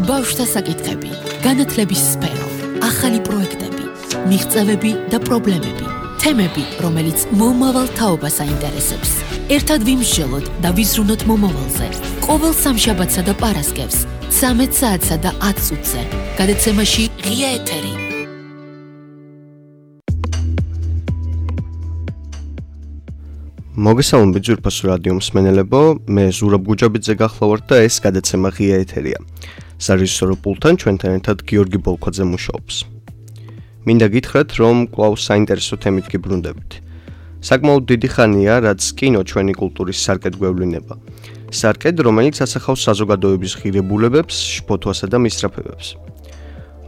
ბავშვთა საკითხები, განათლების სფერო, ახალი პროექტები, მიღწევები და პრობლემები, თემები, რომელიც მომავალ თაობას აინტერესებს. ერთად ვიმსჯელოთ და ვიზრუნოთ მომავალზე. ყოველ სამშაბათსა და პარასკევს, 13 საათსა და 10 წუთზე. გადაცემაში ღია ეთერი. მოგესალმებით ძვირფასო რადიო მსმენელებო, მე ზურაბ გუჯაბიძე გახლავართ და ეს გადაცემა ღია ეთერია. სარეჟისორო პულტთან ჩვენთან ერთად გიორგი ბოლქვაძე მუშაობს. მინდა გითხრათ, რომ კვლავ საინტერესო თემით გიბრუნდებით. საკმაოდ დიდი ხანია, რაც კინო ჩვენი კულტურის სარკედ გვევლინება. სარკედ, რომელიც ასახავს საზოგადოების ღირებულებებს, შფოთვასა და მისწრაფებებს.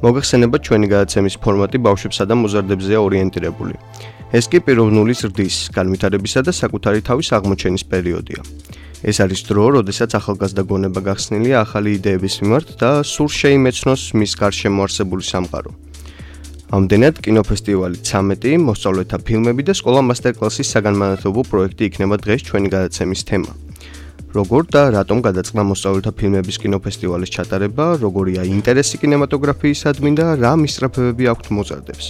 მოგეხსენებათ, ჩვენი გადაცემის ფორმატი ბავშვებსა და მოზარდებზეა ორიენტირებული. ეს კი პიროვნული ზრდის, განვითარებისა და საკუთარი თავის აღმოჩენის პერიოდია. ეს არის დრო, როდესაც ახალგაზრდა გონება გახსნილია ახალი იდეების მიმართ და სულ შეიმეცნოს მის გარშემო არსებული სამყარო. ამდენად, კინოფესტივალი 13, მოსწავლეთა ფილმები და სკოლა მასტერკლასის საგანმანათლებლო პროექტი იქნება დღეს ჩვენი გადაცემის თემა. როგორ და რატომ გადაწყდა მოსწავლეთა ფილმების კინოფესტივალის ჩატარება, როგორია ინტერესი კინემატოგრაფიისადმი და რა მისწრაფებები აქვთ მოზარდებს.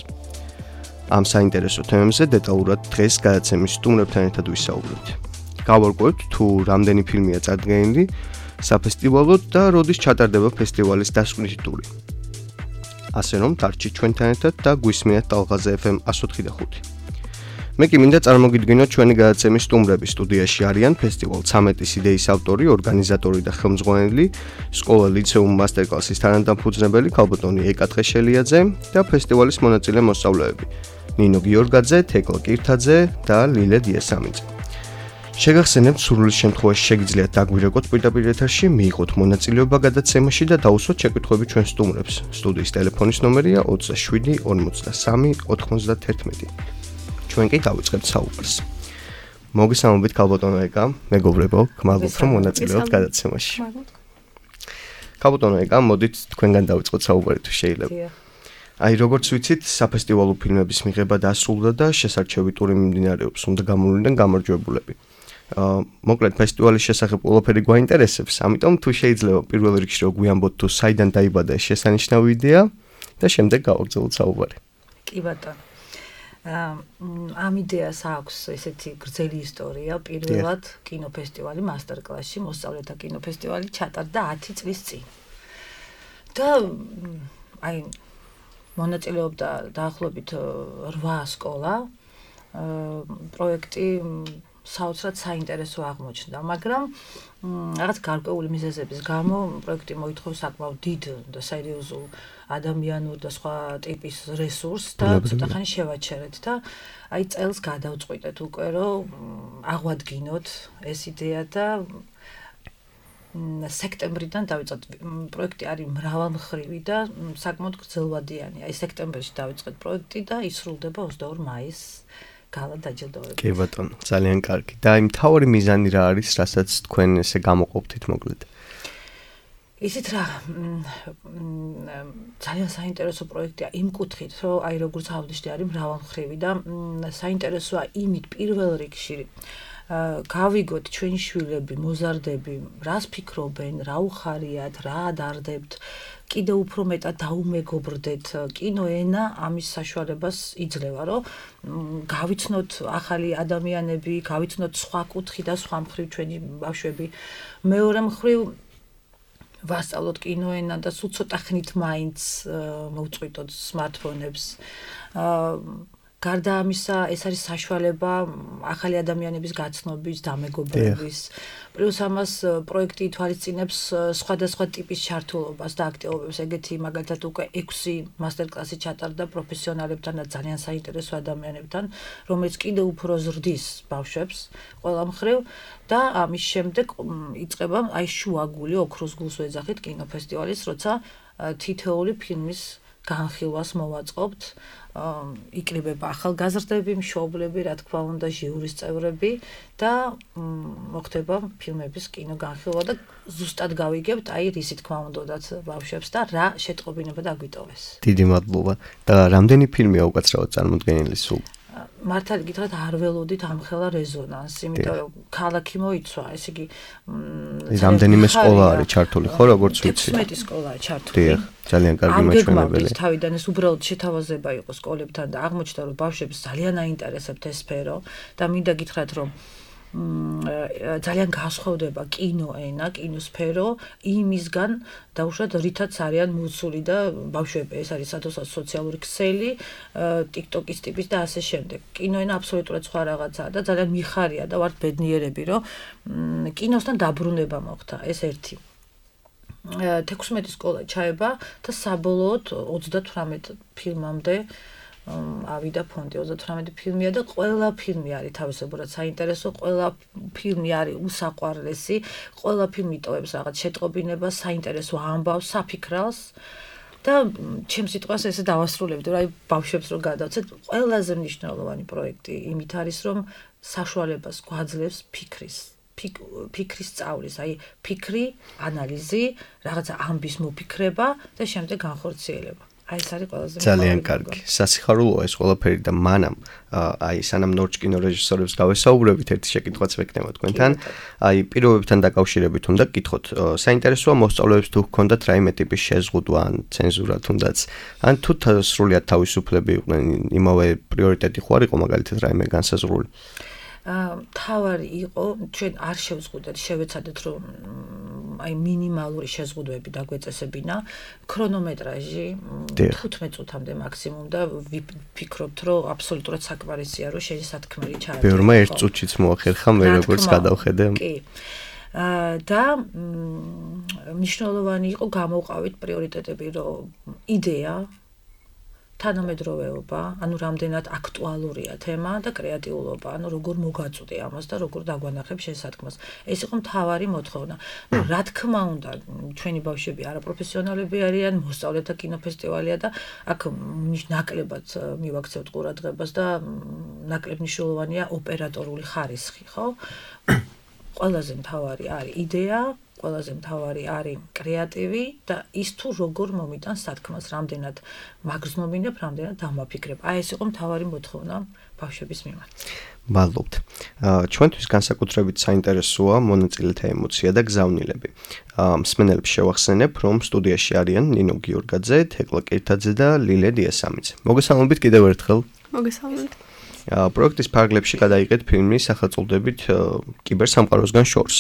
ამ საინტერესო თემებზე დეტალურად დღეს გადაცემის სტუმრებთან ერთად ვისაუბრებთ. გავარკვევთ თუ რამდენი ფილმია წარდგენილი საფესტივალოდ და როდის ჩატარდება ფესტივალის დასკვნითი ტური. ასე რომ დარჩით ჩვენთან ერთად და გვისმინეთ ტალღაზე FM 104.5. მე კი მინდა წარმოგიდგინოთ ჩვენი გადაცემის სტუმრები. სტუდიაში არიან ფესტივალ 13-ის იდეის ავტორი, ორგანიზატორი და ხელმძღვანელი, სკოლა ლიცეუმ მასტერკლასის თანადამფუძნებელი ქალბატონი ეკა ტყეშელიაძე და ფესტივალის მონაწილე მოსწავლეები. ნინო გიორგაძე, თეკლა კირთაძე და ლილე დიასამიძე. შეგახსენებთ, სურვილის შემთხვევაში შეგიძლიათ დაგვირეკოთ პირდაპირ ეთერში, მიიღოთ მონაწილეობა გადაცემაში და დაუსვათ შეკვეთხვები ჩვენ სტუმრებს. სტუდიის ტელეფონის ნომერია 27 53 91. ჩვენ კი დავიწყებთ საუბარს. მოგესალმებით ქალბატონო ეკა, მეგობრებო, გმადლობთ რომ მონაწილეობთ გადაცემაში. ქალბატონო ეკა, მოდით თქვენგან დავიწყოთ საუბარი თუ შეიძლება. აი, როგორც ვიცით, საფესტივალო ფილმების მიღება დასრულდა და შესარჩევი ტური მიმდინარეობს, უნდა გამოვლინდნენ გამარჯვებულები. მოკლედ ფესტივალის შესახებ ყველაფერი გვაინტერესებს, ამიტომ თუ შეიძლება პირველ რიგში რომ გვიამბოთ თუ საიდან დაიბადა ეს შესანიშნავი იდეა და შემდეგ გავაგრძელოთ საუბარი. კი ბატონო. ამ იდეას აქვს ესეთი გრძელი ისტორია. პირველად კინოფესტივალი მასტერკლასში, მოსწავლეთა კინოფესტივალი ჩატარდა 10 წლის წინ. და აი მონაწილეობდა დაახლოებით 8 სკოლა. პროექტი საოცრად საინტერესო აღმოჩნდა, მაგრამ რაღაც გარკვეული მიზეზების გამო პროექტი მოითხოვს საკმაოდ დიდ და სერიოზულ ადამიანურ და სხვა ტიპის რესურსს და ცოტა ხანი შევაჩერეთ და აი წელს გადავწყვიტეთ უკვე რომ აღვადგინოთ ეს იდეა და სექტემბრიდან დავიწყეთ. პროექტი არის მრავალმხრივი და საკმაოდ გრძელვადიანი. აი სექტემბერში დავიწყეთ პროექტი და ისრულდება 22 მაისს გალა დაჯილდოებით. კი ბატონო, ძალიან კარგი. და აი მთავარი მიზანი რა არის, რასაც თქვენ ესე გამოყოფთით მოკლედ? ისიც რა ძალიან საინტერესო პროექტია იმ კუთხით, რომ აი როგორც ავდიშდი არის მრავალმხრივი და საინტერესოა იმით პირველ რიგში გავიგოთ ჩვენი შვილები, მოზარდები, რას ფიქრობენ, რა უხარიათ, რა ადარდებთ, კიდევ უფრო მეტად დაუმეგობრდეთ. კინოენა ამის საშუალებას იძლევა, რომ გავიცნოთ ახალი ადამიანები, გავიცნოთ სხვა კუთხი და სხვა მხრივ ჩვენი ბავშვები. მეორე მხრივ ვასწავლოთ კინოენა და სულ ცოტა ხნით მაინც მოვწყვიტოთ სმარტფონებს. გარდა ამისა, ეს არის საშუალება ახალი ადამიანების გაცნობის, დამეგობრების. პლუს ამას პროექტი ითვალისწინებს სხვადასხვა ტიპის ჩართულობას და აქტივობებს. ეგეთი მაგალითად უკვე 6 მასტერკლასი ჩატარდა პროფესიონალებთან და ძალიან საინტერესო ადამიანებთან, რომელიც კიდევ უფრო ზრდის ბავშვებს ყველა მხრივ და ამის შემდეგ იწყება აი შუაგული ოქროს გულს ვეძახით კინოფესტივალის, როცა თითოეული ფილმის განხილვას მოვაწყობთ. იკრიბება ახალგაზრდები, მშობლები, რა თქმა უნდა, ჟიურის წევრები და მოხდება ფილმების კინო განხილვა და ზუსტად გავიგებთ, აი რისი თქმა უნდათ ბავშვებს და რა შეტყობინება დაგვიტოვეს. დიდი მადლობა. და რამდენი ფილმია უკაცრავად წარმოდგენილი სულ? მართალი გითხრათ არ ველოდით ამხელა რეზონანსი, იმიტომ რომ ქალაქი მოიცვა, ესე იგი რამდენიმე სკოლა არის ჩართული, ხო, როგორც ვიცი. 16 სკოლაა ჩართული. ძალიან კარგი მაჩვენებელი. თავიდან ეს უბრალოდ შეთავაზება იყო სკოლებთან და აღმოჩნდა რომ ბავშვებს ძალიან აინტერესებთ ეს სფერო და მინდა გითხრათ რომ ძალიან განსხვავდება კინოენა, კინოსფერო იმისგან დაუშვათ რითაც არიან მოცული და ბავშვები ეს არის სადღაც სოციალური ქსელი, TikTok-ის ტიპის და ასე შემდეგ. კინოენა აბსოლუტურად სხვა რაღაცაა და ძალიან მიხარია და ვართ ბედნიერები რომ კინოსთან დაბრუნება მოხდა, ეს ერთი. 16 სკოლა ჩაება და საბოლოოდ 38 ფილმამდე ავიდა ფონდი 38 ფილმია და ყველა ფილმი არის თავისებურად საინტერესო, ყველა ფილმი არის უსაყვარლესი, ყველა ფილმი ტოვებს რაღაც შეტყობინებას, საინტერესო ამბავს, საფიქრალს და ჩემს სიტყვას ესე დავასრულებდი, რომ აი ბავშვებს რო გადავცეთ, ყველაზე მნიშვნელოვანი პროექტი იმით არის, რომ საშუალებას გვაძლევს ფიქრის სწავლის, აი ფიქრი, ანალიზი, რაღაცა ამბის მოფიქრება და შემდეგ განხორციელება. აი ეს არის ყველაზე ძალიან კარგი. სასიხარულოა ეს ყველაფერი და მანამ აი სანამ ნორჩ კინორეჟისორებს გავესაუბრებით ერთი შეკითხვაც ვეკნება თქვენთან. აი პირობებთან დაკავშირებით უნდა გკითხოთ. საინტერესოა მოსწავლეებს თუ ჰქონდათ რაიმე ტიპის შეზღუდვა ან ცენზურა თუნდაც ან თუ სრულად თავისუფლები იყვნენ იმავე პრიორიტეტი ხო არ იყო მაგალითად რაიმე განსაზღვრული? თავარი იყო ჩვენ არ შევზღუდეთ, შევეცადეთ რომ აი მინიმალური შეზღუდვები დაგვეწესებინა, ქრონომეტრაჟი 15 წუთამდე მაქსიმუმ და ვფიქრობთ რომ აბსოლუტურად საკმარისია რომ შენი სათქმელი ჩაატარდეს. ბევრმა 1 წუთშიც მოახერხა მე როგორც გადავხედე. კი. და მნიშვნელოვანი იყო გამოვყავით პრიორიტეტები რომ იდეა თანამედროვეობა, ანუ რამდენად აქტუალურია თემა და კრეატიულობა, ანუ როგორ მოგაწვდი ამას და როგორ დაგვანახებ შესაქმას. ეს იყო მთავარი მოთხოვნა. რა თქმა უნდა, ჩვენი ბავშვები არაპროფესიონალები არიან, მოსწავლეთა კინოფესტივალია და აქ ნაკლებად მივაქცევთ ყურადღებას და ნაკლებ მნიშვნელოვანია ოპერატორული ხარისხი, ხო? ყველაზე მთავარი არის იდეა, ყველაზე მთავარი არის კრეატივი და ის თუ როგორ მომიტანს სათქმას, რამდენად მაგზნობინებ, რამდენად დამაფიქრებ. აი ეს იყო მთავარი მოთხოვნა ბავშვების მიმართ. მადლობთ. ჩვენთვის განსაკუთრებით საინტერესოა მონაწილეთა ემოცია და გზავნილები. მსმენელებს შევახსენებ, რომ სტუდიაში არიან ნინო გიორგაძე, თეკლა კირთაძე და ლილე დიასამიძე. მოგესალმებით კიდევ ერთხელ. მოგესალმებით. პროექტის ფარგლებში გადაიღეთ ფილმი სახელწოდებით კიბერსამყაროსგან შორს.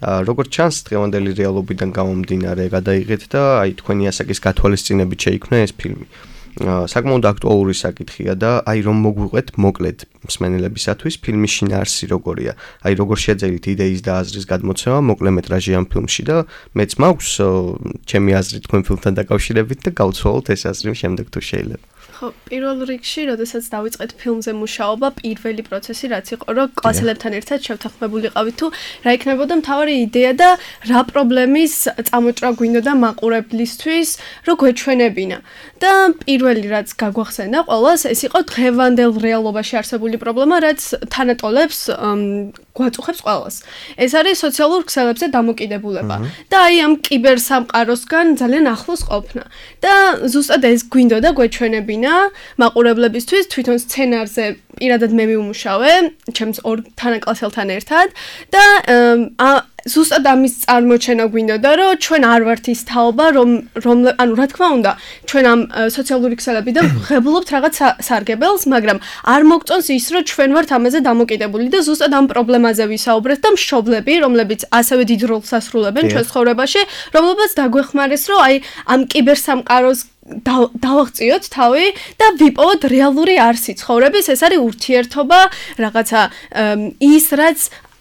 როგორც ჩანს, დღევანდელი რეალობიდან გამომდინარე გადაიღეთ და აი თქვენი ასაკის გათვალისწინებით შეიქმნა ეს ფილმი. საკმაოდ აქტუალური საკითხია და აი რომ მოგვიყვეთ მოკლედ მსმენელებისათვის ფილმის შინაარსი როგორია. აი როგორ შეძლებთ იდეის და აზრის გადმოცემა მოკლემეტრაჟი ამ ფილმში და მეც მაქვს ჩემი აზრი თქვენ ფილმთან დაკავშირებით და გავცვალოთ ეს აზრი შემდეგ თუ შეიძლება. ხო, პირველ რიგში, როდესაც დავიწყეთ ფილმზე მუშაობა, პირველი პროცესი რაც იყო, რომ კლასელებთან ერთად შევთანხმებულიყავით თუ რა იქნებოდა მთავარი იდეა და რა პრობლემის წამოჭრა გვინდოდა მაყურებლისთვის, რომ გვეჩვენებინა. და პირველი რაც გაგვახსენა ყველას, ეს იყო დღევანდელ რეალობაში არსებული პრობლემა, რაც თანატოლებს გვაწუხებს ყველას. ეს არის სოციალურ ქსელებზე დამოკიდებულება და აი ამ კიბერსამყაროსგან ძალიან ახლოს ყოფნა. და ზუსტად ეს გვინდოდა გვეჩვენებინა მაყურებლებისთვის, თვითონ სცენარზე პირადად მე ვიმუშავე, ჩემს ორ თანაკლასელთან ერთად და ზუსტად ამის წარმოჩენა გვინდოდა, რომ ჩვენ არ ვართ ის თაობა, ანუ რა თქმა უნდა, ჩვენ ამ სოციალური ქსელებიდან ვღებულობთ რაღაც სარგებელს, მაგრამ არ მოგწონს ის, რომ ჩვენ ვართ ამაზე დამოკიდებული და ზუსტად ამ პრობლემაზე ვისაუბრეთ და მშობლები, რომლებიც ასევე დიდ როლს ასრულებენ ჩვენს ცხოვრებაში, რომლებიც დაგვეხმარეს, რომ აი ამ კიბერსამყაროს დავაღწიოთ თავი და ვიპოვოთ რეალური არსი ცხოვრების, ეს არის ურთიერთობა, რაღაცა ის, რაც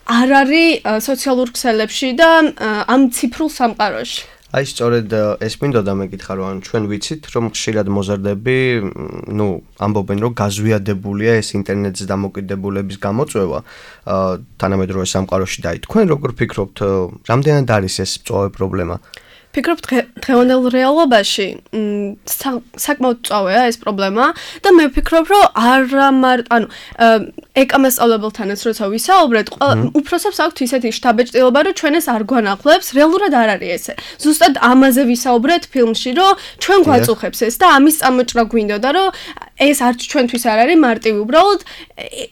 არ არის სოციალურ ქსელებში და ამ ციფრულ სამყაროში. აი სწორედ ეს მინდოდა მეკითხა რომ ჩვენ ვიცით რომ ხშირად მოზარდები ამბობენ რომ გაზვიადებულია ეს ინტერნეტზე დამოკიდებულების გამოწვევა თანამედროვე სამყაროში და აი თქვენ როგორ ფიქრობთ რამდენად არის ეს მწვავე პრობლემა? ფიქრობ დღევანდელ რეალობაში საკმაოდ წავეა ეს პრობლემა და მე ვფიქრობ რომ ეკამასწავლებელთანაც როცა ვისაუბრეთ უფროსებს აქვთ ისეთი შთაბეჭდილება რომ ჩვენ ეს არ გვანახლებს რეალურად არ არის ესე ზუსტად ამაზე ვისაუბრეთ ფილმში რომ ჩვენ გვაწუხებს ეს და ამის წამოჭრა გვინდოდა რომ ეს არც ჩვენთვის არ არის მარტივი უბრალოდ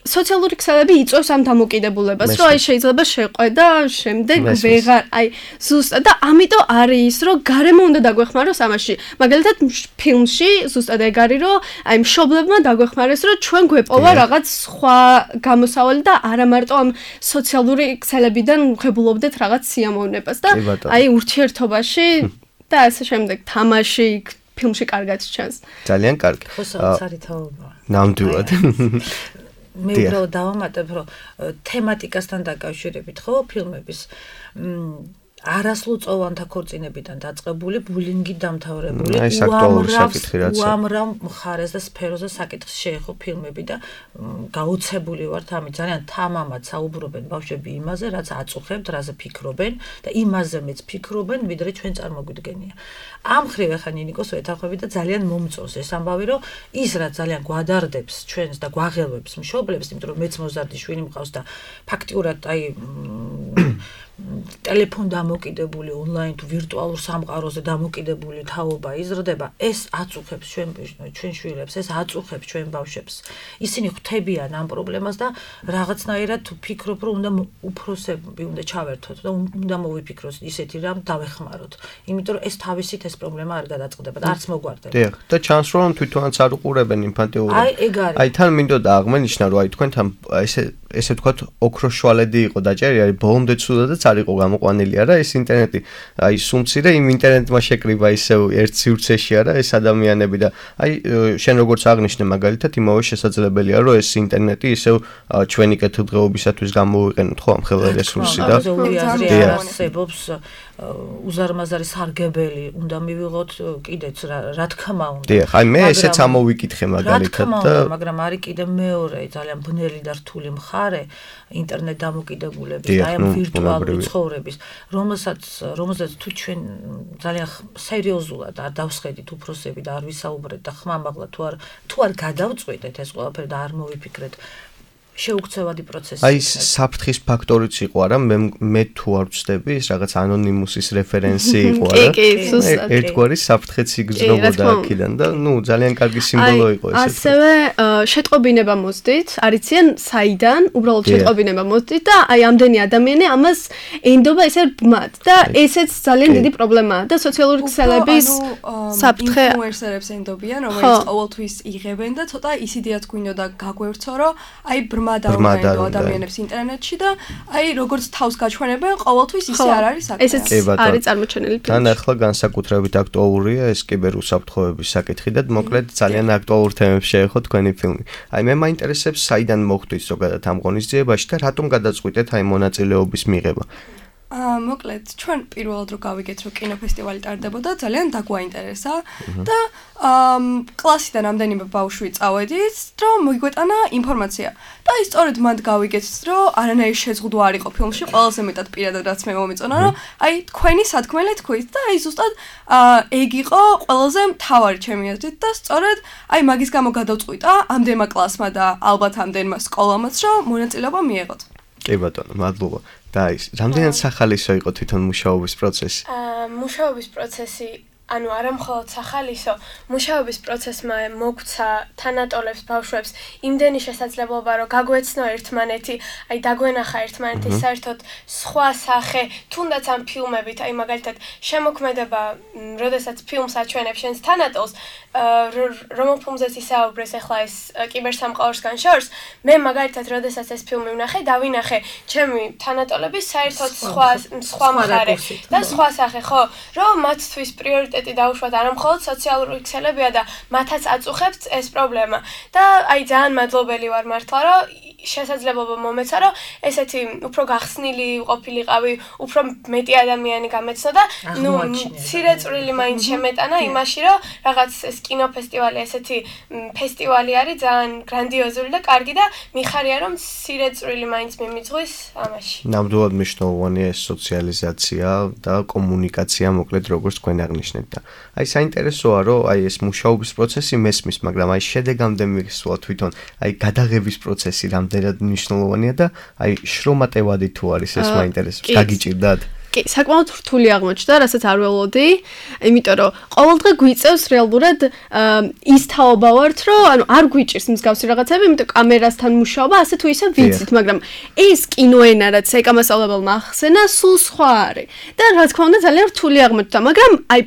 სოციალური ქსელები იწვევს ამ დამოკიდებულებას რომ აი შეიძლება შეყვე და შემდეგ ვეღარ აი ზუსტად და ამიტომ არის ის რომ გარემო უნდა დაგვეხმაროს ამაში მაგალითად ფილმში ზუსტად ეგ არის რომ აი მშობლებმა დაგვეხმარეს რომ ჩვენ გვეპოვა რაღაც სხვა გამოსავალი და არა მარტო ამ სოციალური ქსელებიდან ვღებულობდეთ რაღაც სიამოვნებას და აი ურთიერთობაში და ასე შემდეგ თამაში ფილმში კარგად ჩანს. ძალიან კარგი. ხო, საოცარი თაობა. ნამდვილად. მე უბრალოდ დავამატებ, რომ თემატიკასთან დაკავშირებით ხო ფილმების არასრულწლოვანთა ქორწინებიდან დაწყებული ბულინგი დამთავრებული უამრავ მხარეს და სფეროზე საკითხს შეეხო ფილმები და გაოცებული ვართ ამით ძალიან თამამად საუბრობენ ბავშვები იმაზე რაც აწუხებთ რაზე ფიქრობენ და იმაზე მეც ფიქრობენ ვიდრე ჩვენ წარმოგვიდგენია ამ ხრივ ახლა ნინიკოს ვეთანხმები და ძალიან მომწონს ეს ამბავი რომ ის რაც ძალიან გვადარდებს ჩვენს და გვაღელვებს მშობლებს იმიტომ რომ მეც მოზარდი შვილი მყავს და ფაქტიურად აი ტელეფონ დამოკიდებული ონლაინ თუ ვირტუალურ სამყაროზე დამოკიდებული თაობა იზრდება ეს აწუხებს ჩვენ შვილებს ეს აწუხებს ჩვენ ბავშვებს ისინი ხვდებიან ამ პრობლემას და რაღაცნაირად ფიქრობ რომ უნდა უფროსები უნდა ჩავერთოთ და უნდა მოვიფიქროთ ისეთი რამ დავეხმაროთ იმიტომ რომ ეს თავისით ეს პრობლემა არ გადაწყდება და არც მოგვარდება დიახ და ჩანს რომ თვითონაც არ უყურებენ ინფანტიურად აი ეგ არის აი თან მინდოდა აღმენიშნა რომ აი თქვენთან ესე ვთქვათ ოქროშვალედი იყო დაჭერი არის ბოლომდე ცუდადაც არ იყო გამოყვანილი არა ეს ინტერნეტი აი სუმცირე იმ ინტერნეტმა შეკრიბა ისევ ერთ სივრცეში არა ეს ადამიანები და აი შენ როგორც აღნიშნე მაგალითად იმავე შესაძლებელია რომ ეს ინტერნეტი ისევ ჩვენი კეთილდღეობისათვის გამოვიყენოთ ხო ამ ხელა რესურსი და არსებობს უზარმაზარი სარგებელი უნდა მივიღოთ კიდეც რა თქმა უნდა დიახ აი მე ესეც ამოვიკითხე მაგალითად და მაგრამ არის კიდე მეორე ძალიან ბნელი და რთული მხარე ინტერნეტ დამოკიდებულების და ამ ვირტუალური ცხოვრების რომელსაც თუ ჩვენ ძალიან სერიოზულად არ დავსხედით უფროსები და არ ვისაუბრეთ და ხმამაღლა თუ არ გადავწყვიტეთ ეს ყველაფერი და არ მოვიფიქრეთ შეუქცევადი პროცესი. აი საფრთხის ფაქტორიც იყო არა მე თუ არ ვწდები ეს რაღაც ანონიმუსის რეფერენსი იყო არა. კი, ზუსტად. ერთგვარი საფრთხეც იგრძნობოდა აქედან და ნუ ძალიან კარგი სიმბოლო იყო ეს. ასევე შეტყობინება მოსდით, არიციან საიდან, უბრალოდ შეტყობინება მოსდით და აი ამდენი ადამიანი ამას ენდობა ესე ბმად და ესეც ძალიან დიდი პრობლემაა და სოციალური ქსელების საფრთხე ინფლუენსერებს ენდობიან, რომელიც ყოველთვის იღებენ და ცოტა ის იდეაც გვინდოდა გაგვერთო, რომ აი მადავენ ადამიანებს ინტერნეტში და აი როგორც თავს გაჩვენებენ ყოველთვის ისე არ არის საკითხი. ესეც არის წარმოჩენილი ფილმში. თან ახლა განსაკუთრებით აქტუალურია ეს კიბერუსაფრთხოების საკითხი და მოკლედ ძალიან აქტუალურ თემებს შეეხო თქვენი ფილმი. აი მე მაინტერესებს საიდან მოხდით ზოგადად ამ ღონისძიებაში და რატომ გადაწყვიტეთ აი მონაწილეობის მიღება? მოკლედ ჩვენ პირველად რო გავიგეთ რომ კინოფესტივალი ტარდებოდა ძალიან დაგვაინტერესა და კლასიდან ამდენიმე ბავშვი წავედით რომ მოიგვეტანა ინფორმაცია და აი სწორედ მანდ გავიგეთ რომ არანაირი შეზღუდვა არ იყო ფილმში ყველაზე მეტად პირადად რაც მე მომეწონა რომ აი თქვენი სათქმელი თქვით და აი ზუსტად ეგ იყო ყველაზე მთავარი ჩემი აზრით და სწორედ აი მაგის გამო გადავწყვიტა ამდენმა კლასმა და ალბათ ამდენმა სკოლამაც რომ მონაწილეობა მიეღოთ. კი ბატონო, მადლობა. და ის რამდენად სახალისო იყო თვითონ მუშაობის პროცესი? მუშაობის პროცესი ანუ არა მხოლოდ სახალისო, მუშაობის პროცესმა მოგცა თანატოლებს ბავშვებს იმდენი შესაძლებლობა რომ გაგვეცნო ერთმანეთი, აი დაგვენახა ერთმანეთი საერთოდ სხვა სახე, თუნდაც ამ ფილმებით, აი მაგალითად შემოქმედება, როდესაც ფილმს აჩვენებს შენს თანატოლს, რომელ ფილმზეც ისაუბრეს ახლა ეს კიბერსამყაროსგან შორს, მე მაგალითად როდესაც ეს ფილმი ვნახე, დავინახე ჩემი თანატოლების საერთოდ სხვა მხარე და სხვა სახე, ხო, რომ მათთვის პრიორიტეტი პრიორიტეტი დაუშვათ არა მხოლოდ სოციალური ქსელებია და მათაც აწუხებთ ეს პრობლემა. და აი ძალიან მადლობელი ვარ მართლა, რომ შესაძლებლობა მომეცა, რომ ესეთი უფრო გახსნილი ყოფილიყავი, უფრო მეტი ადამიანი გამეცნო და მცირე წვრილი მაინც შემეტანა იმაში, რომ რაღაც ეს კინოფესტივალი ესეთი ფესტივალი არის ძალიან გრანდიოზული და კარგი და მიხარია რომ მცირე წვრილი მაინც მიმიძღვის ამაში. ნამდვილად მნიშვნელოვანია ეს სოციალიზაცია და კომუნიკაცია, მოკლედ როგორც თქვენ აღნიშნეთ და აი საინტერესოა, რომ აი ეს მუშაობის პროცესი მესმის, მაგრამ აი შედეგამდე მისვლა თვითონ აი გადაღების პროცესი რამდენად მნიშვნელოვანია და აი შრომატევადი თუ არის ეს მაინტერესებს. გაგიჭირდათ? კი, საკმაოდ რთული აღმოჩნდა, რასაც არ ველოდი, იმიტომ რომ ყოველდღე გვიწევს რეალურად ის თაობა ვართ, რომ ანუ არ გვიჭირს მსგავსი რაღაცები, იმიტომ კამერასთან მუშაობა ასე თუ ისე ვიცით, მაგრამ ეს კინოენა რაც ეკამასწავლებელმა ახსენა, სულ სხვა არის. და რა თქმა უნდა ძალიან რთული აღმოჩნდა, მაგრამ აი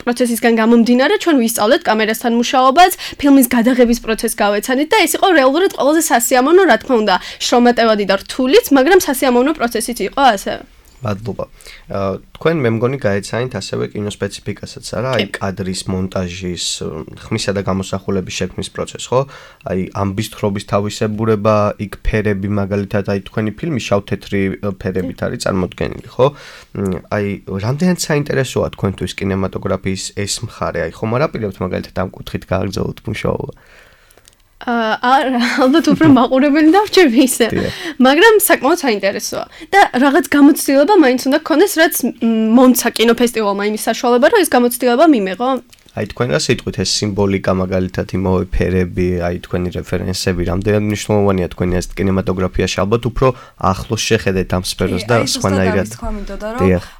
პროცესისგან გამომდინარე ჩვენ ვისწავლეთ კამერასთან მუშაობას, ფილმის გადაღების პროცესს გავეცანით და ეს იყო რეალურად ყველაზე სასიამოვნო, რა თქმა უნდა, შრომატევადი და რთულიც, მაგრამ სასიამოვნო პროცესიც იყო ასევე. მადლობა. თქვენ მე მგონი გაეცანით ასევე კინოსპეციფიკასაც არა, აი კადრის მონტაჟის, ხმისა და გამოსახულების შექმნის პროცესს, ხო? აი ამბის თხრობის თავისებურება, იქ ფერები მაგალითად, აი თქვენი ფილმი შავ-თეთრი ფერებით არის წარმოდგენილი, ხო? აი რამდენად საინტერესოა თქვენთვის კინემატოგრაფიის ეს მხარე, აი ხომ არ აპირებთ მაგალითად ამ კუთხით გააგრძელოთ მუშაობა? ალბათ უფრო მაყურებელი დავჭირვი ისე. მაგრამ საკმაოდ საინტერესოა. და რაღაც გამოცდილება მაინც უნდა გქონდეს, რაც მომცა კინოფესტივალმა იმის საშუალება, რომ ეს გამოცდილება მიმეღო. აი თქვენ რა სიტყვით ეს სიმბოლიკა მაგალითად იმავე ფერები, აი თქვენი რეფერენსები, რამდენად მნიშვნელოვანია თქვენი ეს კინემატოგრაფიაში, ალბათ უფრო ახლოს შეხედეთ ამ სფეროს და სხვანაირად.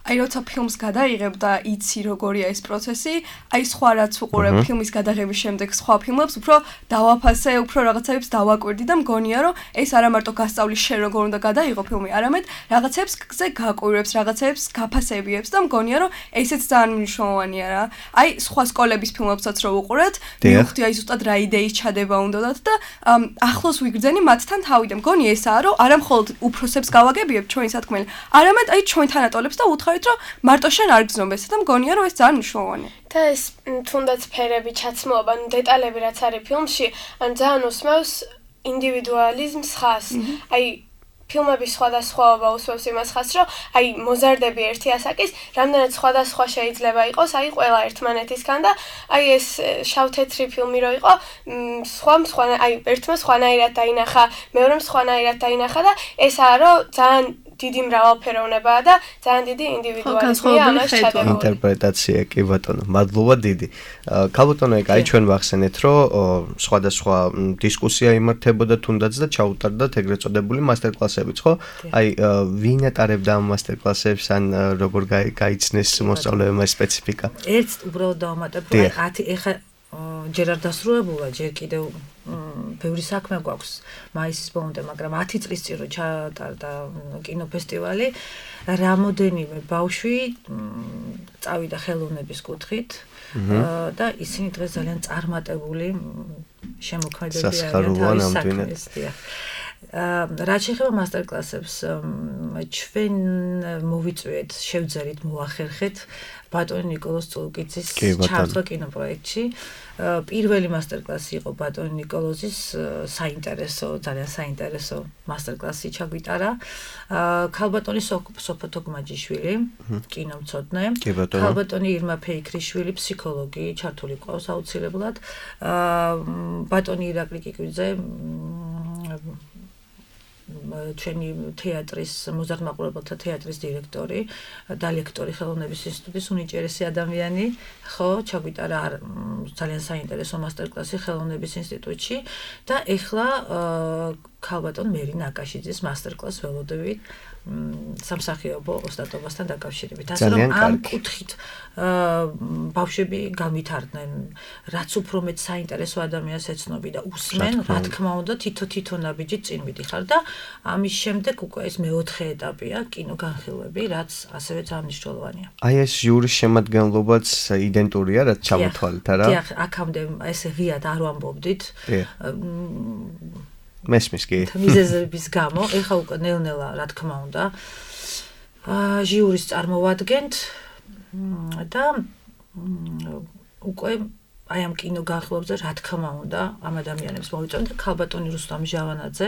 აი როცა ფილმს გადაიღებ და იცი როგორია ეს პროცესი, აი სხვა რაც უყურებ ფილმის გადაღების შემდეგ სხვა ფილმებს, უფრო დავაფასე, უფრო რაღაცებს დავაკვირდი და მგონია რომ ეს არა მარტო გასწავლის შენ როგორ უნდა გადაიღო ფილმი, არამედ რაღაცებზე გაკვირვებს, რაღაცებს გაფასებიებს და მგონია რომ ესეც ძალიან მნიშვნელოვანია რა. აი სხვა სკოლების ფილმებსაც რო უყურეთ, მივხვდი აი ზუსტად რა იდეის ჩადება უნდათ და ახლოს ვიგრძენი მათთან თავი და მგონი ესაა რომ არა მხოლოდ უფროსებს გავაგებიებ ჩვენი სათქმელი, არამედ აი ჩვენ თანატოლებს და უთხარით რომ მარტო შენ არ გზნობ და მგონია რომ ეს ძალიან მნიშვნელოვანია. და ეს თუნდაც ფერები, ჩაცმულობა, ანუ დეტალები რაც არის ფილმში, ან ძალიან უსმევს ინდივიდუალიზმს ხას. აი ფილმების სხვადასხვაობა უსვევს იმას ხას, რომ აი მოზარდები ერთი ასაკის, რამდენად სხვადასხვა შეიძლება იყოს, აი ყველა ერთმანეთისგან და აი ეს შავ-თეთრი ფილმი რო იყო, სხვა აი ერთმა სხვანაირად დაინახა, მეორემ სხვანაირად დაინახა და ესაა რომ ძალიან დიდი მრავალფეროვნებაა და ძალიან დიდი ინდივიდუალიზმია ამას ჩადებული. ინტერპრეტაცია კი ბატონო, მადლობა დიდი. ქალბატონო, აი ჩვენ ვახსენეთ, რომ სხვადასხვა დისკუსია იმართებოდა თუნდაც და ჩაუტარდათ ეგრეთ წოდებული მასტერკლასებიც, ხო? აი ვინ ატარებდა ამ მასტერკლასებს, ან როგორ გაიცნეს მოსწავლეებმა სპეციფიკა? ერთს უბრალოდ დავამატებ, აი 10 ეხა ჯერ არ დასრულებულა, ჯერ კიდევ ბევრი საქმე გვაქვს მაისის ბოლომდე, მაგრამ 10 წლის წინ რო ჩატარდა კინოფესტივალი, რამოდენიმე ბავშვი წავიდა ხელოვნების კუთხით და ისინი დღეს ძალიან წარმატებული შემოქმედებები არიან თავის საქმეს. რაც შეეხება მასტერკლასებს, ჩვენ მოვიწვიეთ, შევძერით, მოახერხეთ ბატონი ნიკოლოზ წულკიძის ჩართვა კინოპროექტში. პირველი მასტერკლასი იყო ბატონი ნიკოლოზის ძალიან საინტერესო მასტერკლასი ჩაგვიტარა. ქალბატონი სოფო თოქმაჯიშვილი, კინომცოდნე, ქალბატონი ირმა ფეიქრიშვილი, ფსიქოლოგი, ჩართული ყავს აუცილებლად. ბატონი ირაკლი კიკვიძე, ჩვენი თეატრის მოზარდ მაყურებელთა თეატრის დირექტორი და ლექტორი ხელოვნების ინსტიტუტის უნიჭერესი ადამიანი, ხო, ჩაგვიტარა ძალიან საინტერესო მასტერკლასი ხელოვნების ინსტიტუტში და ეხლა ქალბატონ მერინა აკაშიძის მასტერკლასს ველოდებით სამსახიობო ოსტატობასთან დაკავშირებით. ასე რომ ამ კუთხით ბავშვები გავითარდნენ, რაც უფრო მეტ საინტერესო ადამიანს ეცნობი და უსმენ, რა თქმა უნდა, თითო ნაბიჯით წინ მიდიხარ და ამის შემდეგ უკვე ეს მეოთხე ეტაპია კინოგანხილვები, რაც ასევე ძალიან მნიშვნელოვანია. აი ეს ჟურის შემადგენლობაც იდენტურია, რაც ჩამოთვალეთ, არა? დიახ, აქამდე ეს ღიად არ ვამბობდით. მესმის კი. მიზეზების გამო, ეხლა უკვე ნელ-ნელა, რა თქმა უნდა, ჟიურის წარმოვადგენთ და უკვე აი ამ კინო განხილვებზე რა თქმა უნდა ამ ადამიანებს მოვიწონთ და ქალბატონი რუსტამ ჟავანაძე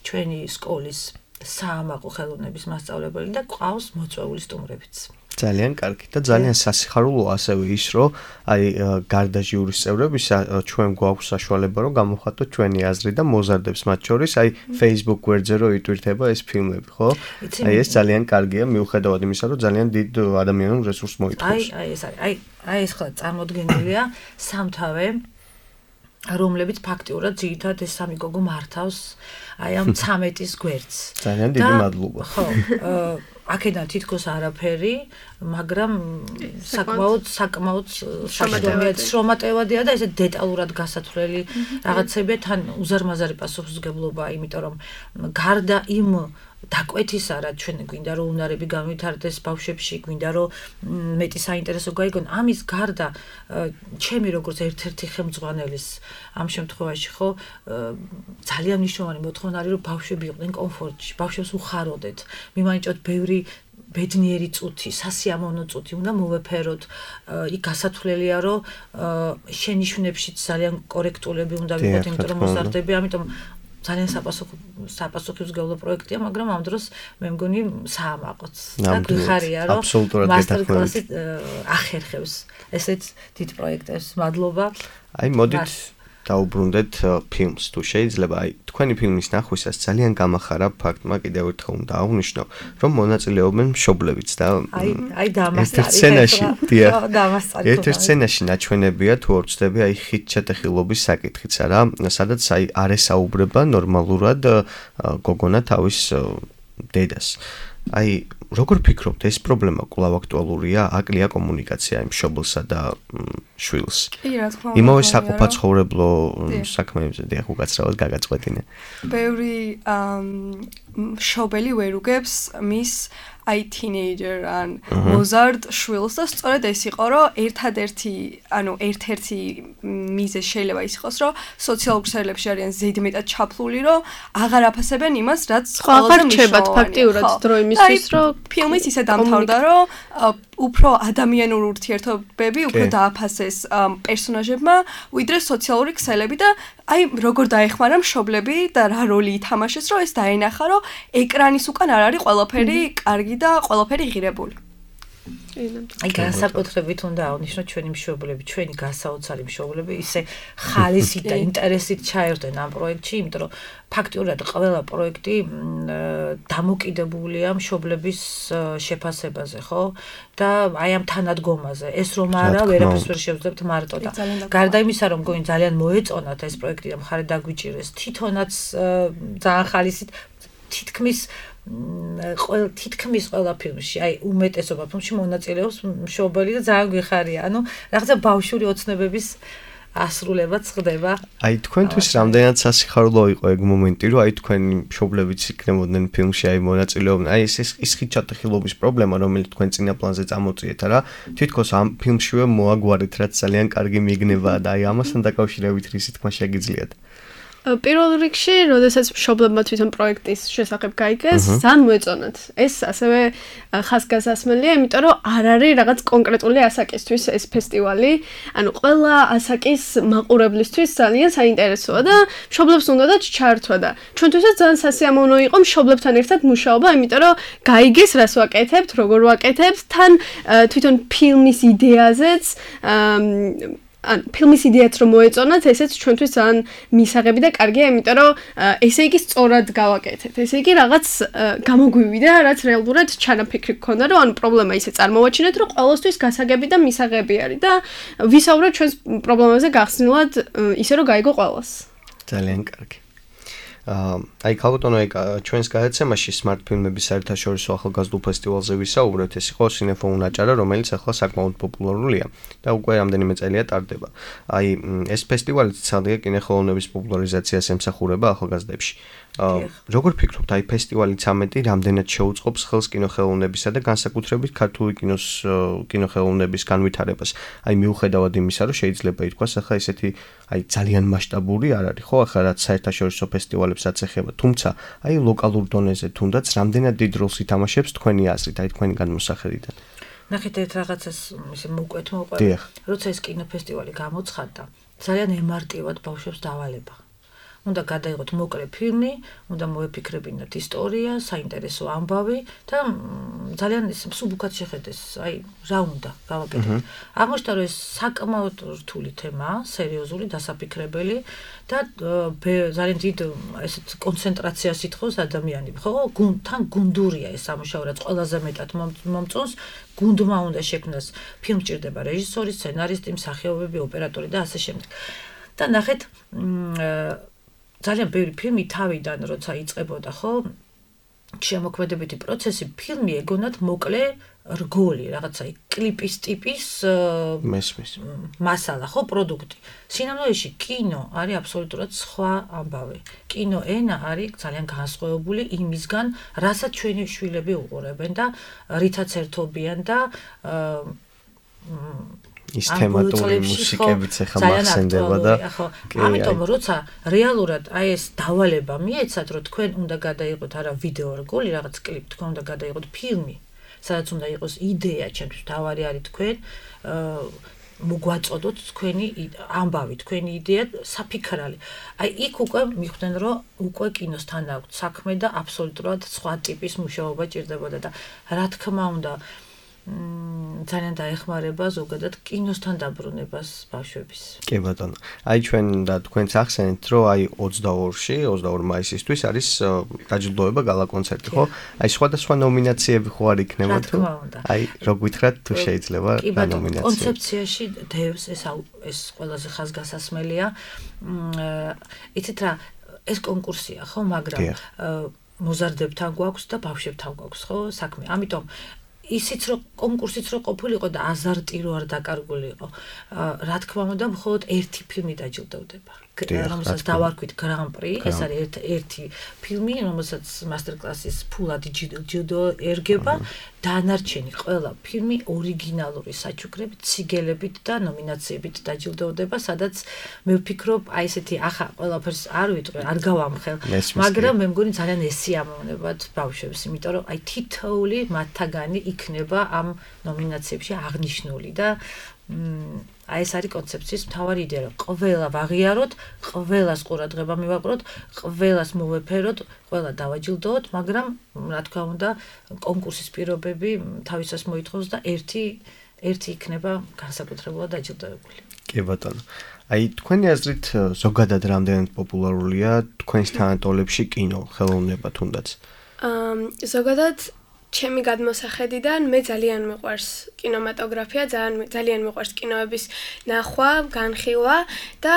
ჩვენი სკოლის საამაყო ხელოვნების მასწავლებელი და ყავს მოწვეული სტუმრებიც. ძალიან კარგი და ძალიან სასიხარულოა ასევე ის, რომ აი გარდა ჟიურის წევრებისა ჩვენ გვაქვს საშუალება რომ გამოვხატოთ ჩვენი აზრი და მოზარდებს მათ შორის აი Facebook გვერდზე რომ იტვირთება ეს ფილმები, ხო? აი ეს ძალიან კარგია მიუხედავად იმისა, რომ ძალიან დიდ ადამიანურ რესურსს მოითხოვს. აი ეს ხლა წარმოდგენილია სამთავე რომლებიც ფაქტიურად ძირითადად ეს სამი გოგო მართავს აი ამ 13-ის გვერდს. ძალიან დიდი მადლობა. ხო, აქედან თითქოს არაფერი, მაგრამ საკმაოდ შრომატევადია და ესე დეტალურად გასათვლელი რაღაცებია, თან უზარმაზარი პასუხისმგებლობაა, იმიტომ რომ გარდა იმ დაკვეთისა, რა ჩვენ გვინდა რომ უნარები განვითარდეს ბავშვებში, გვინდა რომ მეტი საინტერესო გაიგონ, ამის გარდა ჩემი როგორც ერთ-ერთი ხელმძღვანელის ამ შემთხვევაში ხო ძალიან მნიშვნელოვანი მოთხოვნა არის რომ ბავშვები იყვნენ კომფორტში, ბავშვებს უხაროდეთ, მიმაინჭოთ ბევრი ბედნიერი წუთი, სასიამოვნო წუთი უნდა მოვეფეროთ. იქ გასათვლელია რომ შენიშვნებშიც ძალიან კორექტულები უნდა ვიყოთ, იმიტომ რომ მოზარდები, ამიტომ ძალიან საპასუხისმგებლო პროექტია, მაგრამ ამ დროს მე მგონი საამაყოც და გვიხარია რომ მასტერ-კლასი ახერხებს ესეთ დიდ პროექტებს. მადლობა. აი მოდით დაუბრუნდეთ ფილმს თუ შეიძლება. აი თქვენი ფილმის ნახვისას ძალიან გამახარა ფაქტმა კიდევ ერთხელ უნდა აღვნიშნო, რომ მონაწილეობენ მშობლებიც და აი დამასწარი. ერთ-ერთ სცენაში ნაჩვენებია თუ არ ვცდები აი ხით ჩატეხილობის საკითხიც არა, სადაც აი არ ესაუბრება ნორმალურად გოგონა თავის დედას. აი როგორ ფიქრობთ ეს პრობლემა კვლავ აქტუალურია? აკლია კომუნიკაცია იმ მშობლსა და შვილს. კი, რა თქმა უნდა. იმავე საყოფაცხოვრებლო საქმეებზე დიახ უკაცრავად გაგაწყვეტინე. ბევრი მშობელი ვერ უგებს მის აი თინეიჯერ ან მოზარდ შვილს და სწორედ ეს იყო რომ ერთ-ერთი მიზეზი შეიძლება ის იყოს რომ სოციალურ ქსელებში არიან ზედმეტად ჩაფლული რომ აღარ აფასებენ იმას რაც აღარ რჩებათ ფაქტიურად დრო იმისთვის რომ ფილმის ისე დამთავრდა რომ უფრო ადამიანურ ურთიერთობები უფრო დააფასეს პერსონაჟებმა ვიდრე სოციალური ქსელები და აი როგორ დაეხმარა მშობლები და რა როლი ითამაშეს რომ ეს დაენახა რომ ეკრანის უკან არ არის ყველაფერი კარგი და ყველაფერი ღირებული. აი განსაკუთრებით უნდა აღნიშნოთ ჩვენი მშობლები, ჩვენი გასაოცარი მშობლები ისე ხალისით და ინტერესით ჩაერთვენ ამ პროექტში, იმიტომ რომ ფაქტიურად ყველა პროექტი დამოკიდებულია მშობლების შეფასებაზე, ხო? და აი ამ თანადგომაზე. ეს რომ არა, ვერაფერს ვერ შევძლებთ მარტო და გარდა იმისა, რომ მგონი ძალიან მოეწონათ ეს პროექტი და მხარე დაგვიჭირეს, თვითონაც ძალიან ხალისით თითქმის ყველა ფილმში, აი უმეტესობა ფილმში მონაწილეობს მშობელი და ძალიან გვიხარია. ანუ რაღაცა ბავშვური ოცნებების ასრულებაც ხდება. აი თქვენთვის რამდენად სასიხარულო იყო ეგ მომენტი, რომ აი თქვენი მშობლებიც იქნებოდნენ ფილმში, აი მონაწილეობდნენ. აი ეს ხით ჩატეხილობის პრობლემა, რომელიც თქვენ წინა პლანზე წამოწიეთ, რა, თითქოს ამ ფილმშივე მოაგვარეთ, რაც ძალიან კარგი მიგნებაა და აი ამასთან დაკავშირებით რისი თქმა შეგიძლიათ. პირველ რიგში, როდესაც მშობლებმა თვითონ პროექტის შესახებ გაიგეს, ძალიან მოეწონათ. ეს ასევე ხაზგასმელია, იმიტომ რომ არ არის რაღაც კონკრეტული ასაკისთვის ეს ფესტივალი. ანუ ყველა ასაკის მაყურებლისთვის ძალიან საინტერესოა და მშობლებს უნდათ ჩაერთვა და ჩვენთვისაც ძალიან სასიამოვნო იყო მშობლებთან ერთად მუშაობა, იმიტომ რომ გაიგეს რას ვაკეთებთ, როგორ ვაკეთებთ, თან თვითონ ფილმის იდეაზეც ან ფილმის იდეაც რომ მოეწონათ, ესეც ჩვენთვის ძალიან მისაღები და კარგია, იმიტომ რომ ესე იგი სწორად გავაკეთეთ. ესე იგი რაღაც გამოგვივიდა, რაც რეალურად ჩანაფიქრი გქონდა, რომ ანუ პრობლემა ისე წარმოვაჩინეთ, რომ ყოველთვის გასაგები და მისაღები არის და ვისაუბროთ ჩვენს პრობლემებზე გახსნილად, ისე რომ გაიგო ყველას. ძალიან კარგი. აი ქალბატონო, ჩვენს გადაცემაში smart ფილმების საერთაშორისო ახალგაზრდულ ფესტივალზე ვისაუბრეთ, ეს იყო სინეფონ აჭარა, რომელიც ახლა საკმაოდ პოპულარულია და უკვე რამდენიმე წელია ტარდება. აი ეს ფესტივალი ცალკე კინოხელოვნების პოპულარიზაციას ემსახურება ახალგაზრდებში. როგორ ფიქრობთ, აი ფესტივალი 13 რამდენად შეუწყობს ხელს კინოხელოვნებისა და განსაკუთრებით ქართული კინოხელოვნების განვითარებას? აი მიუხედავად იმისა, რომ შეიძლება ითქვას, ახლა ესეთი აი ძალიან მასშტაბური არ არის, ხო, ახლა რაც საერთაშორისო ფესტივალებსაც ეხება, თუმცა აი ლოკალურ დონეზე თუნდაც რამდენად დიდ როლს ითამაშებს თქვენი აზრით, აი თქვენი განმოსახედიდან? ნახეთ ერთ რაღაცას ისე მოკვეთ მოყვე. როცა ეს კინოფესტივალი გამოცხადდა, ძალიან ემარტივად ბავშვებს დავალება. უნდა გადაიღოთ მოკლე ფილმი, უნდა მოეფიქრებინათ ისტორია, საინტერესო ამბავი და ძალიან მსუბუქად შეხედეს, აი რა უნდა გავაკეთოთ. აღმოჩნდა რომ ეს საკმაოდ რთული თემაა, სერიოზული, დასაფიქრებელი და ძალიან დიდ ესეთ კონცენტრაციას ითხოვს ადამიანები, ხო? თან გუნდურია ეს სამუშაო, რაც ყველაზე მეტად მომწონს, გუნდმა უნდა შექმნას, ფილმ ჭირდება რეჟისორი, სცენარისტი, მსახიობები, ოპერატორი და ასე შემდეგ. და ნახეთ ძალიან ბევრი ფილმი თავიდან როცა იწყებოდა, ხო? შემოქმედებითი პროცესი, ფილმი ეგონათ მოკლე რგოლი, რაღაცა კლიპის ტიპის მესმის მასალა, ხო, პროდუქტი. სინამდვილეში კინო არის აბსოლუტურად სხვა ამბავი. კინო ენა არის ძალიან განსხვავებული იმისგან, რასაც ჩვენი შვილები უყურებენ და რითაც ერთობიან და ის თემატური მუსიკებიც ახლა მახსენდება და ამიტომ როცა რეალურად აი ეს დავალება მიეცათ, რომ თქვენ უნდა გადაიღოთ არა ვიდეო რგოლი, რაღაც კლიპ, თქვენ უნდა გადაიღოთ ფილმი, სადაც უნდა იყოს იდეა, ჩემთვის თავარი არის თქვენ მოგვაწოდოთ თქვენი ამბავი, თქვენი იდეა, საფიქრალი. აი იქ უკვე მიხვდნენ, რომ უკვე კინოსთან აქვს საქმე და აბსოლუტურად სხვა ტიპის მუშაობა ჭირდებოდა და რა თქმა უნდა ძალიან დაეხმარება ზოგადად კინოსთან დაბრუნებას ბავშვების. კი ბატონო. აი ჩვენ და თქვენც ახსენეთ, რომ აი 22-ში, 22 მაისისთვის არის დაჯილდოება გალა კონცერტი, ხო? აი სხვადასხვა ნომინაციები ხო არ იქნება თუ? აი რო გითხრათ თუ შეიძლება რა ნომინაცია. კონცეფციაში დევს ეს ყველაზე ხაზგასასმელია. იცით რა, ეს კონკურსია, ხო, მაგრამ მოზარდებთან გვაქვს და ბავშვებთან გვაქვს, ხო, საქმე. ამიტომ ისიც რომ კონკურსიც რომ ყოფილიყო და აზარტი რო არ დაკარგულიყო, რა თქმა უნდა, მხოლოდ ერთი ფილმი დაჯილდოვდება. რომელსაც დავარქვით გრან-პრი, ეს არის ერთი ფილმი, რომელსაც მასტერ-კლასის ფულადი ჯილდო ერგება, დანარჩენი ყველა ფილმი ორიგინალური საჩუქრებით, ციგელებით და ნომინაციებით დაჯილდოვდება, სადაც მე ვფიქრობ, აი ესეთი ახლა ყველაფერს არ ვიტყვი, არ გავამხელ, მაგრამ მე მგონი ძალიან ესიამოვნებათ ბავშვებს, იმიტომ რომ აი თითოეული მათთაგანი იქნება ამ ნომინაციებში აღნიშნული და აი ეს არის კონცეფციის მთავარი იდეა, რომ ყველა ვაღიაროთ, ყველას ყურადღება მივაყროთ, ყველას მოვეფეროთ, ყველა დავაჯილდოოთ, მაგრამ რა თქმა უნდა, კონკურსის პირობები თავისას მოითხოვს და ერთი იქნება განსაკუთრებულად დაჯილდოებული. კი ბატონო. აი თქვენი აზრით ზოგადად რამდენად პოპულარულია თქვენს თანატოლებში კინო, ხელოვნება თუნდაც? ზოგადად ჩემი გადმოსახედიდან მე ძალიან მიყვარს კინემატოგრაფია, ძალიან მიყვარს კინოების ნახვა, განხილვა და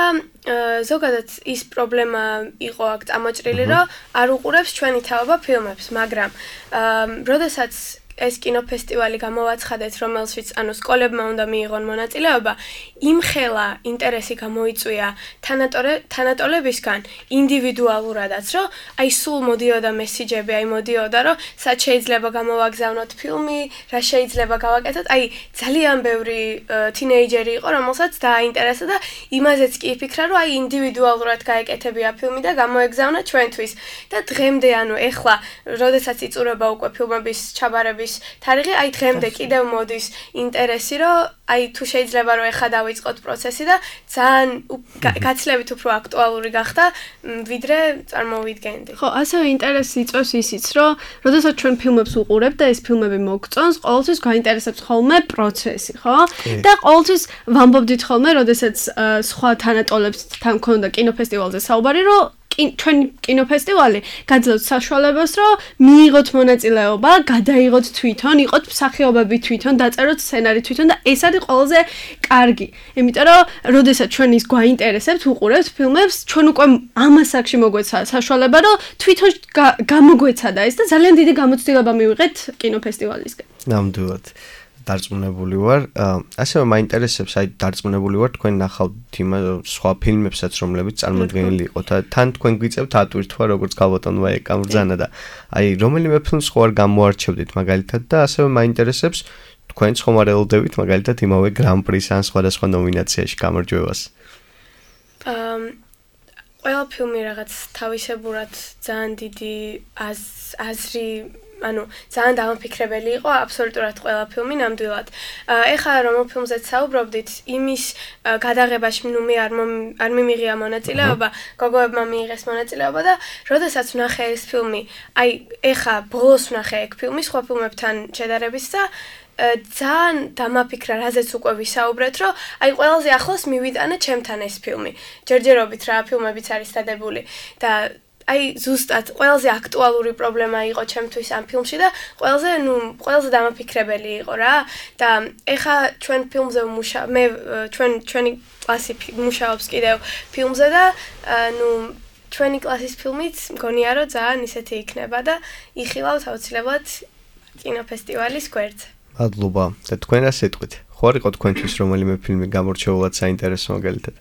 ზოგადად ის პრობლემა იყო აქ წამოჭრილი, რომ არ უყურებს ჩვენი თაობა ფილმებს, მაგრამ როდესაც ეს კინოფესტივალი გამოვაცხადეთ, რომელშიც ანუ სკოლებმა უნდა მიიღონ მონაწილეობა, იმხელა ინტერესი გამოიწვია თანატოლებისგან ინდივიდუალურადაც, რომ აი სულ მოდიოდა მესიჯები, აი მოდიოდა, რომ სად შეიძლება გამოვაგზავნოთ ფილმი, რა შეიძლება გავაკეთოთ, აი ძალიან ბევრი თინეიჯერი იყო, რომელსაც დააინტერესა და იმაზეც კი იფიქრა, რომ აი ინდივიდუალურად გაეკეთებია ფილმი და გამოეგზავნა ჩვენთვის. და დღემდე, ანუ ეხლა, როდესაც იწურება უკვე ფილმების ჩაბარების თარიღი, აი დღემდე კიდევ მოდის ინტერესი, რომ აი თუ შეიძლება რომ ეხლა დავიწყოთ პროცესი და ძალიან გაცილებით უფრო აქტუალური გახდა, ვიდრე წარმოვიდგენდი. ხო, ასევე ინტერესი იწვევს ისიც, რომ როდესაც ჩვენ ფილმებს ვუყურებთ და ეს ფილმები მოგწონს, ყოველთვის გაინტერესებს ხოლმე პროცესი, ხო? და ყოველთვის ვამბობდით ხოლმე, როდესაც სხვა თანატოლებს თან მქონდა კინოფესტივალზე საუბარი, რომ ჩვენი კინოფესტივალი გაძლევთ საშუალებას, რომ მიიღოთ მონაწილეობა, გადაიღოთ თვითონ, იყოთ მსახიობები თვითონ, დაწეროთ სცენარი თვითონ და ეს არის ყველაზე კარგი. იმიტომ რომ როდესაც ჩვენ ის გვაინტერესებთ, უყურებთ ფილმებს, ჩვენ უკვე ამას აქში მოგვეცა საშუალება, რომ თვითონ გამოგვეცადა ეს და ძალიან დიდი გამოცდილება მივიღეთ კინოფესტივალისგან. ნამდვილად. დარწმუნებული ვარ. ასევე მაინტერესებს, აი დარწმუნებული ვარ თქვენ ნახავთ იმ სხვა ფილმებსაც, რომლებიც წარმოდგენილი იყო და თან თქვენ გვიწევთ ატვირთვა, როგორც გალბატონმა ეკამბრძანა და აი რომელიმე ფილმს ხო არ გამოარჩევდით მაგალითად და ასევე მაინტერესებს თქვენც ხომ არ ელოდებით მაგალითად იმავე გრან-პრის ან სხვადასხვა ნომინაციაში გამარჯვებას. ყველა ფილმი რაღაც თავისებურად ძალიან დიდი აზრი ანუ ძალიან დამაფიქრებელი იყო აბსოლუტურად ყველა ფილმი ნამდვილად. ეხლა რომელ ფილმზეც საუბრობდით, იმის გადაღებაში მე არ მიმიღია მონაწილეობა, გოგოებმა მიიღეს მონაწილეობა და როდესაც ვნახე ეს ფილმი, აი ეხლა ბოლოს ვნახე ეგ ფილმი სხვა ფილმებთან შედარებით და ძალიან დამაფიქრა, რაზეც უკვე ვისაუბრეთ, რომ აი ყველაზე ახლოს მივიტანა ჩემთან ეს ფილმი. ჯერჯერობით რა ფილმებიც არის დადებული და აი ზუსტად ყველაზე აქტუალური პრობლემა იყო ჩემთვის ამ ფილმში და ყველაზე დამაფიქრებელი იყო რა და ეხა ჩვენ ფილმზე მე ჩვენი კლასი მუშაობს კიდევ ფილმზე და ჩვენი კლასის ფილმიც მგონია რომ ძალიან ისეთი იქნება და იხილავთ აუცილებლად კინოფესტივალის გვერდზე. მადლობა. და თქვენ რა სიტყვით? ხო არ იყო თქვენთვის რომელიმე ფილმი გამორჩეულად საინტერესო მაგალითად?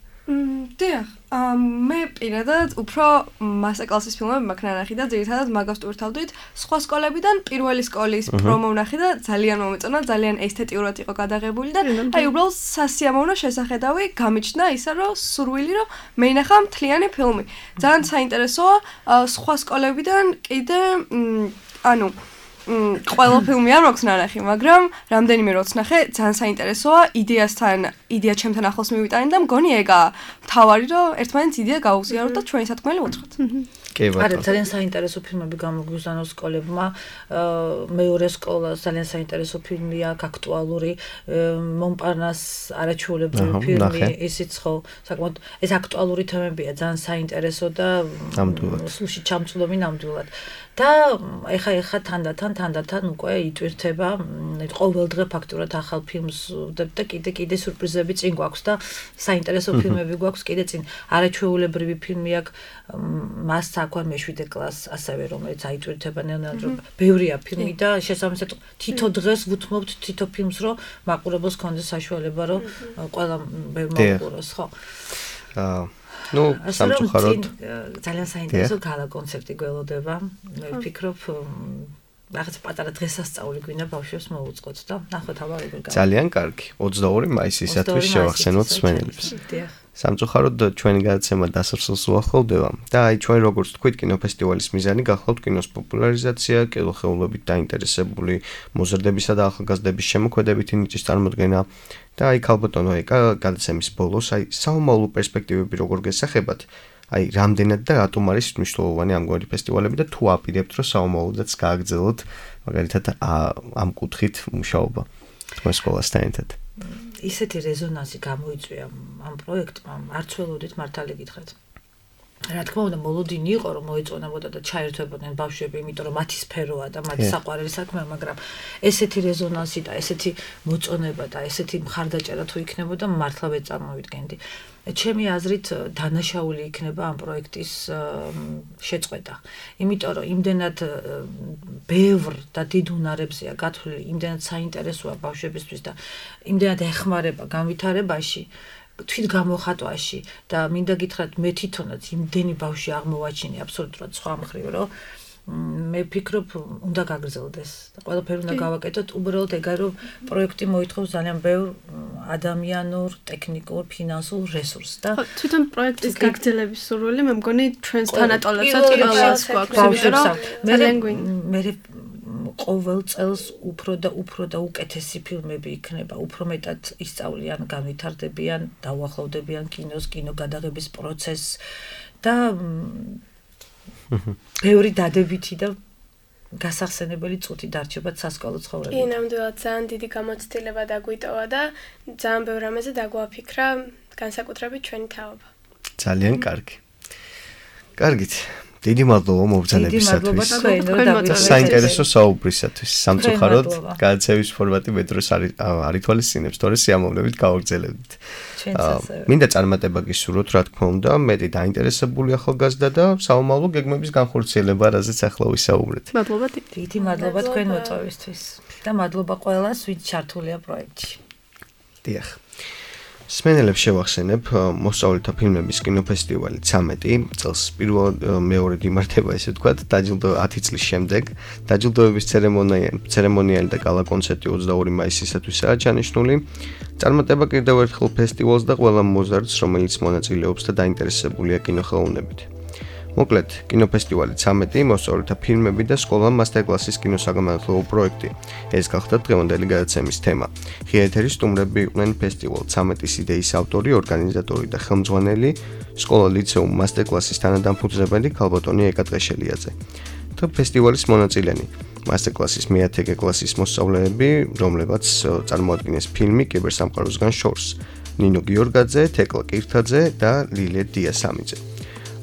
დიახ, მე პირადად უფრო მასტერ-კლასის ფილმები მაქვს ნანახი და ძირითადად მაგას ვტვირთავდით სხვა სკოლებიდან პირველი სკოლის პრომო ვნახე და ძალიან მომეწონა, ძალიან ესთეტიურად იყო გადაღებული და აი უბრალოდ სასიამოვნო შესახედავი გამიჩნდა ისა რომ სურვილი რომ მე ნახა მთლიანი ფილმი. ძალიან საინტერესოა სხვა სკოლებიდან კიდე ყველა ფილმი არ მაქვს ნანახი, მაგრამ რამდენიმე როც ნახე, ძალიან საინტერესოა, იდეა ჩემთან ახლოს მივიტანე და მგონი ეგაა მთავარი, რომ ერთმანეთს იდეა გაუზიაროთ და ჩვენი სათქმელი უთხრათ. კი ბატონო. არა, ძალიან საინტერესო ფილმები გამოგვიზანო სკოლებმა. მეორე სკოლა ძალიან საინტერესო ფილმია, აქტუალური, მომპარნას არაჩვეულებრივი ფილმი, ისიც ხო, საკმაოდ ეს აქტუალური თემებია, ძალიან საინტერესო და სულში ჩამწვდომი ნამდვილად. და ეხა თანდათან უკვე იტვირთება ყოველდღე ფაქტურად ახალ ფილმს და კიდე სურპრიზები წინ გვაქვს და საინტერესო ფილმები გვაქვს კიდე წინ. არაჩვეულებრივი ფილმი აქვს მას აქვე მე-7 კლასს ასევე რომელიც აიტვირთება ნელ-ნელა რომ ბევრია ფილმი და შესაბამისად თითო დღეს ვუთმობთ თითო ფილმს რომ მაყურებელს კონდეს საშუალება რომ ყველა მოუყუროს ხო. სამწუხაროდ ძალიან საინტერესო გალა კონცერტი გველოდება. მე ვფიქრობ რაღაც პატარა დღესასწაული გვინდა ბავშვებს მოუწყოთ და ნახოთ აბა როგორ გავა. ძალიან კარგი. 22 მაისისათვის შევახსენოთ მსმენელებს. სამწუხაროდ ჩვენი გადაცემა დასასრულს უახლოვდება და აი ჩვენ როგორც თქვით კინოფესტივალის მიზანი გახლავთ კინოს პოპულარიზაცია, კინოხეულობით დაინტერესებული მოზრდებისა და ახალგაზრდების შემოქმედებითი ნიჭის წარმოდგენა და აი ქალბატონო ეკა გადაცემის ბოლოს აი საომავლო პერსპექტივები როგორ გესახებათ? აი რამდენად და რატომ არის მნიშვნელოვანი ამგვარი ფესტივალები და თუ აპირებთ რომ საომავლოდაც გააგრძელოთ მაგალითად ამ კუთხით მუშაობა თქვენ სკოლასთან ერთად? ისეთი რეზონანსი გამოიწვია ამ პროექტმა, არც ველოდით მართალი გითხრათ. რა თქმა უნდა, მოლოდინი იყო რომ მოეწონებოდა და ჩაერთვებოდნენ ბავშვები, იმიტომ რომ მათი სფეროა და მათი საყვარელი საქმეა, მაგრამ ესეთი რეზონანსი და ესეთი მოწონება და ესეთი მხარდაჭერა თუ იქნებოდა, მართლა ვერ წარმოვიდგენდი. ჩემი აზრით დანაშაული იქნება ამ პროექტის შეწყვეტა. იმიტომ რომ იმდენად ბევრ და დიდ უნარებზეა გათვლილი, იმდენად საინტერესოა ბავშვებისთვის და იმდენად ეხმარება განვითარებაში, თვით გამოხატვაში და მინდა გითხრათ მე თვითონაც იმდენი ბავშვი აღმოვაჩინე აბსოლუტურად სხვა მხრივ, რომ მე ვფიქრობ უნდა გაგრძელდეს და ყველაფერი უნდა გავაკეთოთ, უბრალოდ ეგარ რომ პროექტი მოითხოვს ძალიან ბევრ ადამიანურ, ტექნიკურ, ფინანსურ რესურსს და თვითონ პროექტის გაგრძელების სურვილი მე მგონი ჩვენს თანატოლებსაც ყველას გვაქვს, იმიტომ რომ ძალიან მე ყოველ წელს უფრო და უკეთესი ფილმები იქნება, უფრო მეტად ისწავლიან, განვითარდებიან, დაუახლოვდებიან კინოს, კინოგადაღების პროცესს და ბევრი დადებითი და გასახსენებელი წუთი დარჩება სასკოლო ცხოვრებაში. კი, ნამდვილად ძალიან დიდი გამოცდილება დაგვიტოვა და ძალიან ბევრ რამეზე დაგვაფიქრა, განსაკუთრებით ჩვენი თაობა. ძალიან კარგი. კარგით. დიდი მადლობა მობრძანებისათვის. საინტერესო საუბრისათვის. სამწუხაროდ გადაცემის ფორმატი მე დროს არ ითვალისწინებს, თორე სიამოვნებით გავაგრძელებთ. მინდა წარმატება გისურვოთ, რა თქმა უნდა, მეტი დაინტერესებული ახალგაზრდა და საომავლო გეგმების განხორციელება, რაზეც ახლა ვისაუბრეთ. მადლობა დიდი მადლობა თქვენ მოწვევისთვის და მადლობა ყველას, ვინც ჩართულია პროექტში. დიახ. მსმენელებს შევახსენებ მოსწავლეთა ფილმების კინოფესტივალი 13 წელს მეორედ იმართება ესე ვთქვათ დაჯილდო 10 წლის შემდეგ დაჯილდოების ცერემონიალი და გალა კონცერტი 22 მაისისათვისაა ჩანიშნული. წარმატება კიდევ ერთხელ ფესტივალს და ყველა მოზარდს, რომელიც მონაწილეობს და დაინტერესებულია კინოხელოვნებით. მოკლედ, კინოფესტივალი 13, მოსწავლეთა ფილმები და სკოლა მასტერკლასის კინოსაგანმანათლებლო პროექტი. ეს გახდა დღევანდელი გადაცემის თემა. ღია ეთერის სტუმრები იყვნენ ფესტივალ 13-ის იდეის ავტორი, ორგანიზატორი და ხელმძღვანელი, სკოლა ლიცეუმ მასტერკლასის თანადამფუძნებელი ქალბატონი ეკა ტყეშელიაძე. და ფესტივალის მონაწილენი, მასტერკლასის მე-10 კლასის მოსწავლეები, რომლებაც წარმოადგენს ფილმი კიბერსამყაროსგან შორს. ნინო გიორგაძე, თეკლა კირთაძე და ლილე დიასამიძე.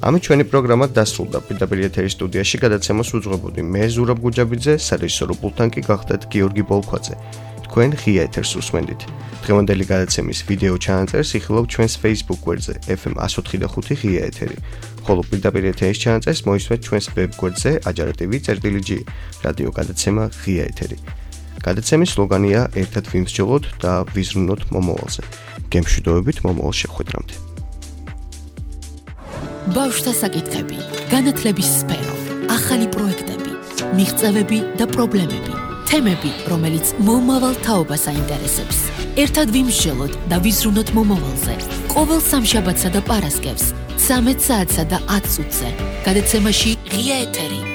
ამით ჩვენი პროგრამა დასრულდა. პირდაპირ ეთერის სტუდიაში გადაცემას უძღვებოდი მე ზურაბ გუჯაბიძე, სარეჟისორო პულტთან კი გახდათ გიორგი ბოლქვაძე. თქვენ ღია ეთერს უსმენდით. დღევანდელი გადაცემის ვიდეო ჩანაწერს იხილავთ ჩვენს Facebook გვერდზე FM 104.5 ღია ეთერი. ხოლო პირდაპირ ეთერის ჩანაწერს მოისმენთ ჩვენს ვებ გვერდზე ajartv.g რადიო გადაცემა ღია ეთერი. გადაცემის სლოგანია ერთად ვიმსჯელოთ და ვიზრუნოთ მომავალზე. გემშვიდობებით მომავალ შეხვედრამდე. ბავშვთა საკითხები, განათლების სფერო, ახალი პროექტები, მიღწევები და პრობლემები, თემები, რომელიც მომავალ თაობას აინტერესებს. ერთად ვიმსჯელოთ და ვიზრუნოთ მომავალზე. ყოველ სამშაბათსა და პარასკევს 13 საათსა და 10 წუთზე. გადაცემაში ღია ეთერი.